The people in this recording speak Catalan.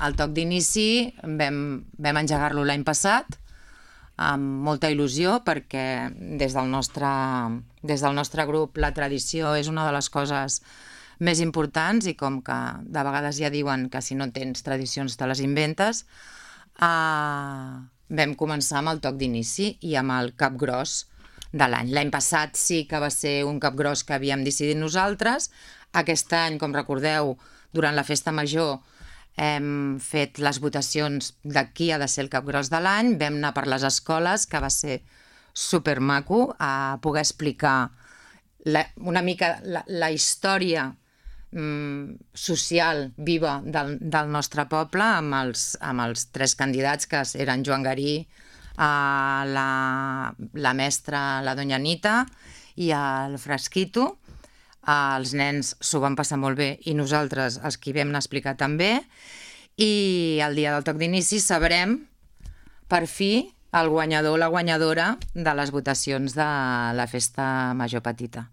El toc d'inici vam engegar-lo l'any passat amb molta il·lusió perquè des del nostre grup la tradició és una de les coses més importants i com que de vegades ja diuen que si no tens tradicions te les inventes, vam començar amb el toc d'inici i amb el capgròs de l'any. L'any passat sí que va ser un capgròs que havíem decidit nosaltres. Aquest any, com recordeu, durant la festa major hem fet les votacions de qui ha de ser el capgròs de l'any, vam anar per les escoles, que va ser supermaco, a poder explicar una mica la història social viva del nostre poble amb els 3 candidats, que eren Joan Garí, la mestra, la doña Anita, i el Frasquito. Els nens s'ho van passar molt bé i nosaltres, els que hi vam anar a explicar també, i el dia del toc d'inici sabrem per fi el guanyador o la guanyadora de les votacions de la festa major petita.